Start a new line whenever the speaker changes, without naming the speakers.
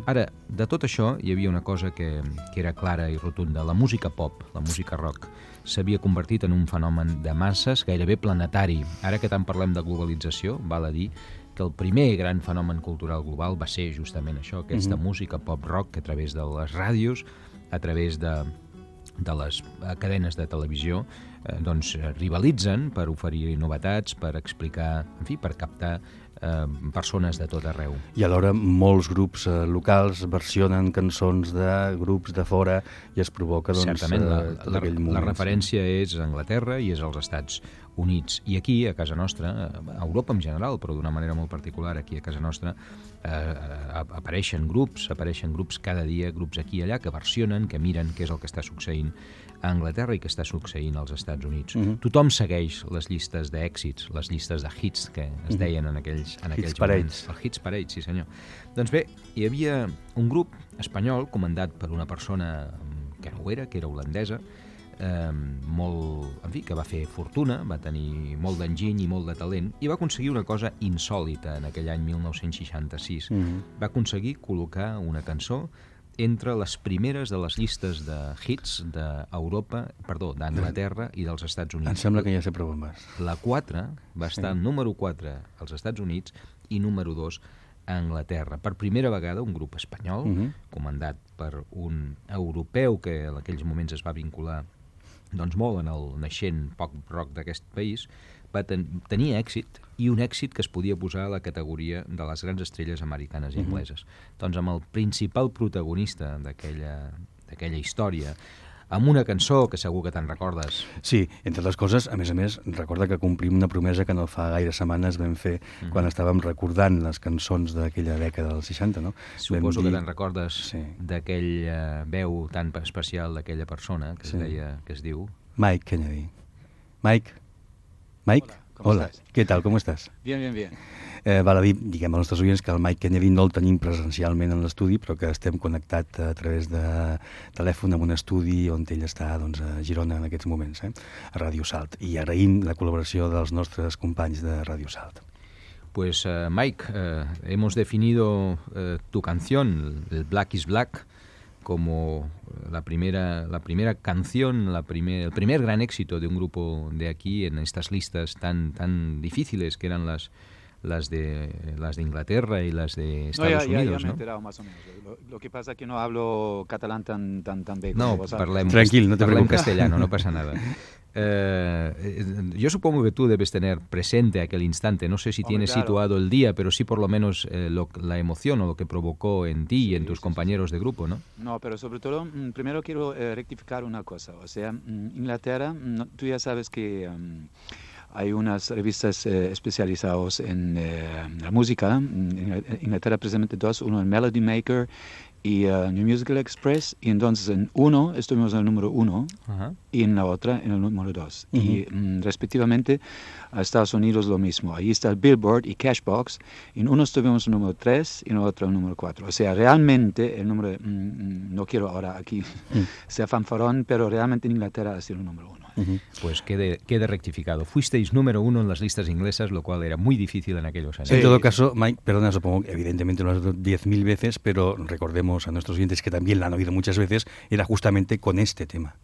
Ara, de tot això hi havia una cosa que era clara i rotunda. La música pop, la música rock, s'havia convertit en un fenomen de masses gairebé planetari. Ara que tant parlem de globalització, val a dir que el primer gran fenomen cultural global va ser justament això, aquesta música pop-rock que a través de les ràdios, a través de les cadenes de televisió, doncs rivalitzen per oferir novetats, per explicar, en fi, per captar persones de tot arreu.
I alhora molts grups locals versionen cançons de grups de fora i es provoca
certament
tot aquell moment.
La referència és a Anglaterra i és als Estats Units. I aquí, a casa nostra, a Europa en general, però d'una manera molt particular, aquí a casa nostra, apareixen grups cada dia, grups aquí i allà, que versionen, que miren què és el que està succeint a Anglaterra i que està succeint als Estats Units. Tothom segueix les llistes d'èxits, les llistes de hits que es deien en aquells moments. El Hits Parade, sí senyor. Doncs bé, hi havia un grup espanyol comandat per una persona que no ho era, que era holandesa, que va fer fortuna, va tenir molt d'enginy i molt de talent, i va aconseguir una cosa insòlita en aquell any 1966. Va aconseguir col·locar una cançó entre les primeres de les llistes de hits d'Anglaterra i dels Estats Units.
Em sembla que ja sé per on vas.
La 4 va estar número 4 als Estats Units i número 2 a Anglaterra. Per primera vegada un grup espanyol, comandat per un europeu que en aquells moments es va vincular doncs molt en el naixent pop rock d'aquest país, va tenir èxit, i un èxit que es podia posar a la categoria de les grans estrelles americanes i angleses. Doncs amb el principal protagonista d'aquella història, amb una cançó que segur que te'n recordes.
Sí, entre les coses, a més, recorda que complim una promesa que no fa gaire setmanes vam fer quan estàvem recordant les cançons d'aquella dècada dels 60, no?
Suposo que te'n recordes d'aquella veu tan especial d'aquella persona que es diu...
Mike Kennedy. Mike? Hola, ¿qué tal? ¿Cómo estás?
Bien.
Val a dir, diguem als nostres oients, que el Mike Kennedy no el tenim presencialment en l'estudi, però que estem connectats a través de telèfon amb un estudi on ell està a Girona en aquests moments, a Ràdio Salt. I agraïm la col·laboració dels nostres companys de Ràdio Salt.
Pues Mike, hemos definido tu canción, el Black is Black, como la primera canción, el primer gran éxito de un grupo de aquí en estas listas tan difíciles que eran las de Inglaterra y las de Estados Unidos,
ya me he enterado más o menos. Lo que pasa es que no hablo catalán tan bien como vos.
Tranquil, no te preocupes.
Castellano, no pasa nada. Yo supongo que tú debes tener presente aquel instante, no sé si tienes situado el día, pero sí por lo menos la emoción o lo que provocó en ti y en tus compañeros de grupo, ¿no?
No, pero sobre todo, primero quiero rectificar una cosa, o sea, Inglaterra, tú ya sabes que... hay unas revistas especializadas en la música. En Inglaterra precisamente dos, uno en Melody Maker y New Musical Express, y entonces en uno estuvimos en el número 1 y en la otra en el número 2. Y respectivamente a Estados Unidos lo mismo. Ahí está el Billboard y Cashbox. En uno estuvimos en el número 3 y en el otro en el número 4. O sea, realmente el número... no quiero ahora aquí ser fanfarrón, pero realmente en Inglaterra ha sido el número 1.
Pues quede rectificado. Fuisteis número 1 en las listas inglesas, lo cual era muy difícil en aquellos años.
Sí. En todo caso, Mike, perdona, supongo que evidentemente lo has oído 10.000 veces, pero recordemos a nuestros oyentes que también la han oído muchas veces, era justamente con este tema.